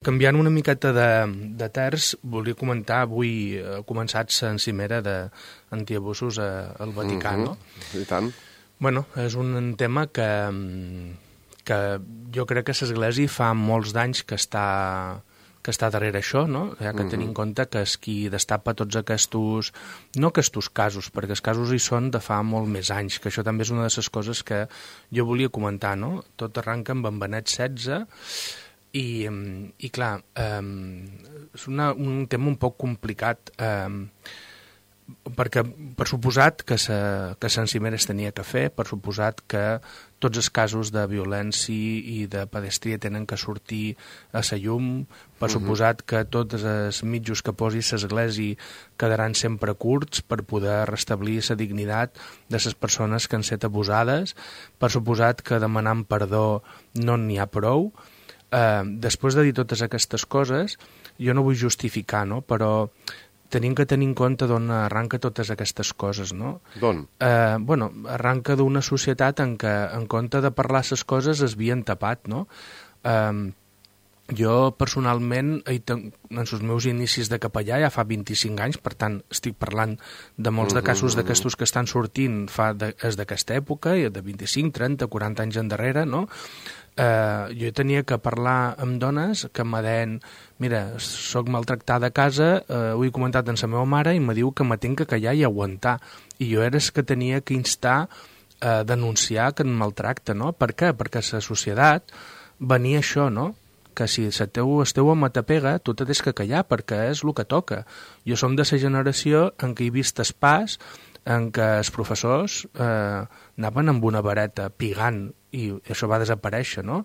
Canviant una miqueta de terç, volia comentar, avui ha començat la cimera d'antiabusos al Vaticà, no? I tant. Bueno, és un tema que jo crec que l'Església fa molts d'anys que està darrere això, no? Ja que tenim en compte que és qui destapa tots aquests, no aquests casos, perquè els casos hi són de fa molt més anys, que això també és una de les coses que jo volia comentar, no? Tot arranca amb en Benet XVI, i clar, és un tema un poc complicat, perquè per suposat que Sant Cimera es tenia que fer, per suposat que tots els casos de violència i de pedestria tenen que sortir a la llum, per suposat que tots els mitjos que posi l'Església quedaran sempre curts per poder restablir la dignitat de les persones que han estat abusades, per suposat que demanant perdó no n'hi ha prou. Després de dir totes aquestes coses, jo no vull justificar, no? Però tenim que tenir en compte d'on arranca totes aquestes coses, no? D'on? Bueno, arranca d'una societat en què, en compte de parlar les coses, es havien tapat, no? Jo, personalment, en els meus inicis de capellà ja fa 25 anys, per tant, estic parlant de molts de casos d'aquestos que estan sortint és d'aquesta època, de 25, 30, 40 anys endarrere, no? Jo tenia que parlar amb dones que em deien, mira, soc maltractada a casa, ho he comentat amb la meva mare i me diu que me tinc que callar i aguantar. I jo era el que tenia que instar a denunciar que em maltracta, no? Per què? Perquè a la societat venia això, no? Que si el teu home t'apega, tu te tens que callar perquè és el que toca. Jo som de la generació en què he vist el pas en què els professors anaven amb una vareta pigant i això va desaparèixer, no?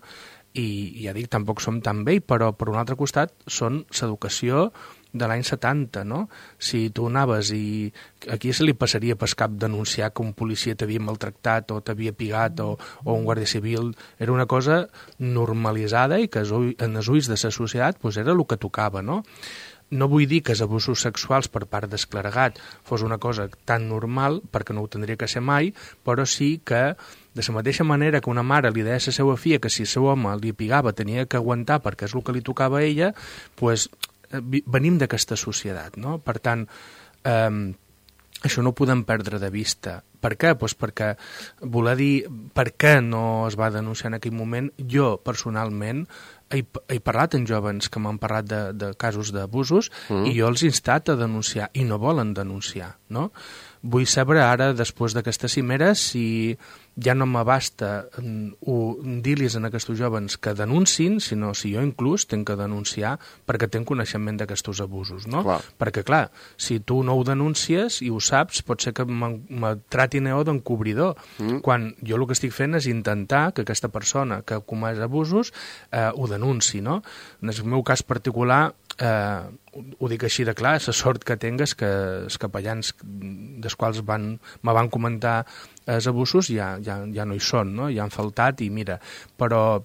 I ja dic, tampoc som tan vell, però per un altre costat són l'educació de l'any 70, no? Si tu anaves i aquí se li passaria per cap denunciar que un policia t'havia maltractat o t'havia pigat o un guàrdia civil, era una cosa normalitzada i que en els ulls de la societat doncs era el que tocava, no? No vull dir que els abusos sexuals per part del clergat fos una cosa tan normal, perquè no ho tindria que ser mai, però sí que de la mateixa manera que una mare li deia a la seva filla que si el seu home li pigava tenia que aguantar perquè és el que li tocava a ella, doncs venim d'aquesta societat, no? Per tant, això no ho podem perdre de vista. Per què? Doncs perquè voler dir per què no es va denunciar en aquell moment, jo personalment he parlat amb jovens que m'han parlat de casos d'abusos i jo els he instat a denunciar i no volen denunciar, no? Vull saber ara, després d'aquesta cimera, si ja no m'abasta dir-los a aquests jovens que denunciïn, sinó si jo inclús tenc que denunciar perquè tenc coneixement d'aquests abusos, no? Clar. Perquè, clar, si tu no ho denuncies i ho saps, pot ser que me tratin d'encobridor, quan jo el que estic fent és intentar que aquesta persona que ha comès abusos ho denunciï, no? En el meu cas particular, ho dic així de clar, la sort que tinc és que els capellans dels quals me van comentar els abusos ja no hi són, no? Ja han faltat i mira, però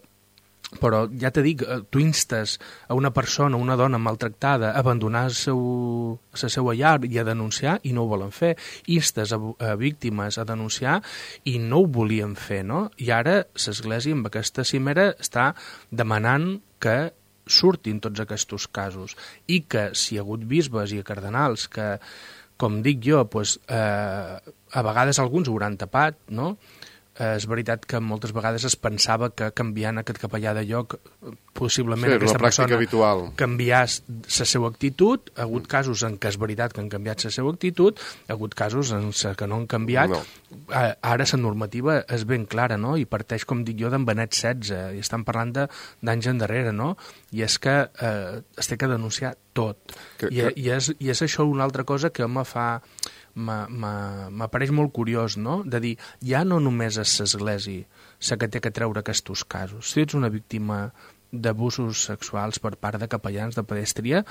ja te dic, tu instes a una persona, una dona maltractada a abandonar la seva llar i a denunciar i no ho volen fer, instes a víctimes a denunciar i no ho volien fer, no? I ara l'Església amb aquesta cimera està demanant que surtin tots aquests casos i que si hi ha hagut bisbes i cardenals que, com dic jo, doncs, a vegades alguns ho hauran tapat, no? És veritat que moltes vegades es pensava que canviant aquest capellà de lloc possiblement aquesta persona habitual canviés la seva actitud. Ha hagut casos en què és veritat que han canviat la seva actitud, ha hagut casos en què no han canviat. No. Ara la normativa és ben clara, no? I parteix, com dic jo, d'en Benet XVI, i estan parlant d'anys endarrere, no? I és que es té que denunciar tot. I és això una altra cosa que m'apareix molt curiós, no? De dir, ja no només és l'Església la que té que treure aquests casos. Si ets una víctima d'abusos sexuals per part de capellans de pedestria,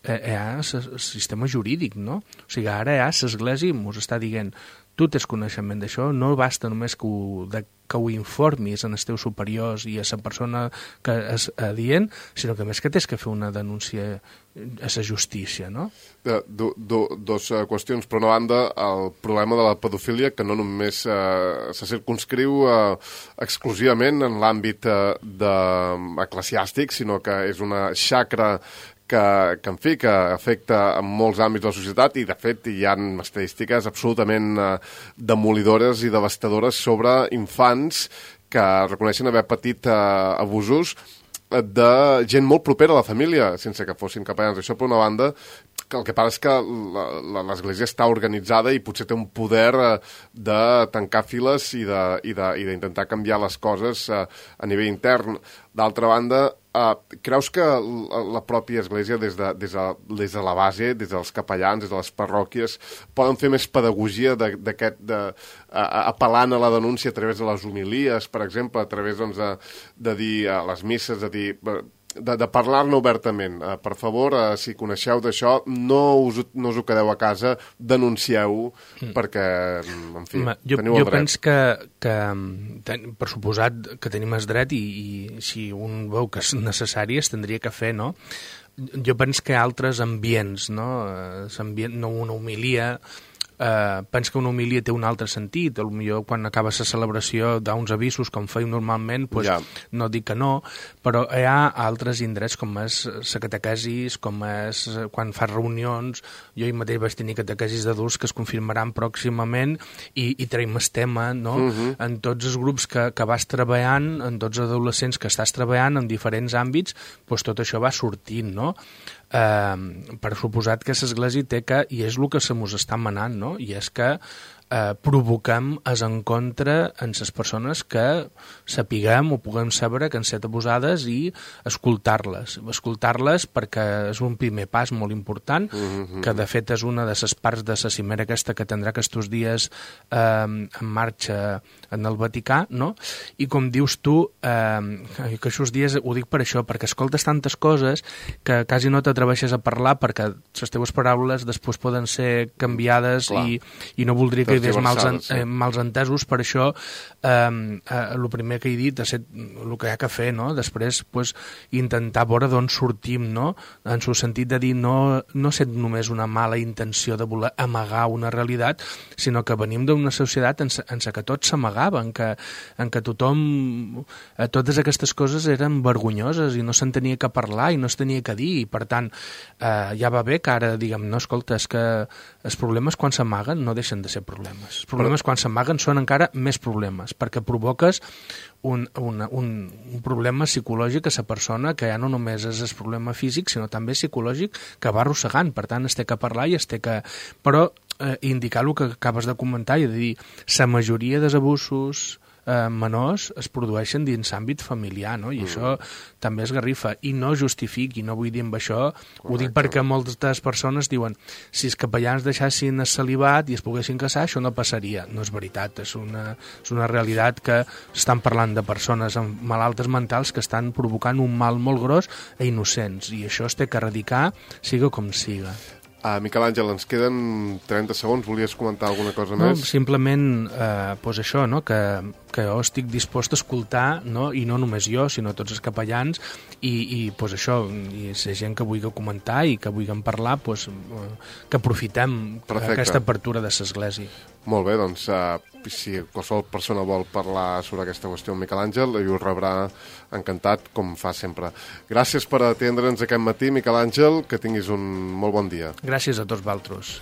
hi ha el sistema jurídic, no? O sigui, ara l'Església ens està dient tu tens coneixement d'això, no basta només que que ho informis en els teus superiors i a la persona que és adient, sinó que més que tens que fer una denúncia a la justícia, no? Dos qüestions. Per una banda, el problema de la pedofília, que no només se circumscriu exclusivament en l'àmbit eclesiàstic, sinó que és una xacra que afecta en molts àmbits de la societat i, de fet, hi ha estadístiques absolutament demolidores i devastadores sobre infants que reconeixen haver patit abusos de gent molt propera a la família, sense que fossin capellans. Això, per una banda, que el que passa és que l'Església està organitzada i potser té un poder de tancar files i d'intentar canviar les coses a nivell intern. D'altra banda, creus que la pròpia Església, des de la base, des dels capellans, des de les parròquies, poden fer més pedagogia apel·lant a la denúncia a través de les homilies, per exemple, a través de dir a les misses, de parlar-ne obertament. Per favor, si coneixeu d'això, no us ho quedeu a casa, denuncieu-ho, perquè, en fi, teniu el dret. Jo penso que per suposat que tenim el dret i si un veu que és necessari es tindria que fer, no? Jo penso que hi ha altres ambients, no? No una homilia. Penso que una homilia té un altre sentit. Potser quan acaba la celebració d'uns avisos, com feim normalment, no dic que no, però hi ha altres indrets, com és la catequesis, com és quan fas reunions. Jo mateix vaig tenir catequesis d'adults que es confirmaran pròximament i traiem el tema, no? En tots els grups que vas treballant, en tots els adolescents que estàs treballant en diferents àmbits, tot això va sortint, no? Per suposat que l'Església té que, i és el que se mos està manant, no? I és que provoquem es en contra en les persones que sapiguem o puguem saber que han estat abusades i escoltar-les perquè és un primer pas molt important, que de fet és una de les parts de la cimera aquesta que tindrà aquests dies en marxa en el Vaticà, no? I com dius tu, que aquests dies ho dic per això, perquè escoltes tantes coses que quasi no t'atreveixes a parlar perquè les teves paraules després poden ser canviades i no voldria que hi hagués mals entesos. Per això el primer que he dit és el que hi ha que fer, no? Després intentar veure d'on sortim, no? En el sentit de dir no ser només una mala intenció de voler amagar una realitat, sinó que venim d'una societat en què tot s'amagava, en què tothom, totes aquestes coses eren vergonyoses i no se'n tenia que parlar i no es tenia que dir, i per tant ja va bé que ara diguem, no, escolta, és que els problemes quan s'amaguen no deixen de ser problemes. Els problemes quan s'amaguen són encara més problemes, perquè provoques un problema psicològic a la persona que ja no només és el problema físic, sinó també psicològic que va arrossegant. Per tant, es té que parlar i es té que... Però indicar el que acabes de comentar i de dir, la majoria dels abusos menors es produeixen dins l'àmbit familiar, no? I això també es garrifa, i no justifiqui, no vull dir amb això, ho dic perquè moltes persones diuen si els capellans deixassin el celibat i es poguessin casar, això no passaria. No és veritat, és una realitat que estan parlant de persones amb malaltes mentals que estan provocant un mal molt gros a innocents, i això es té que erradicar, siga com siga. Miquel Àngel, ens queden 30 segons. Volies comentar alguna cosa més? No, simplement això, no? Que jo estic dispost a escoltar, no? I no només jo, sinó tots els capellans, i això, i la gent que vulgui comentar i que vulgui parlar, que aprofitem aquesta apertura de l'Església. Molt bé, doncs si qualsevol persona vol parlar sobre aquesta qüestió amb Miquel Àngel, ell ho rebrà encantat, com fa sempre. Gràcies per atendre'ns aquest matí, Miquel Àngel, que tinguis un molt bon dia. Gràcies a tots vosaltres.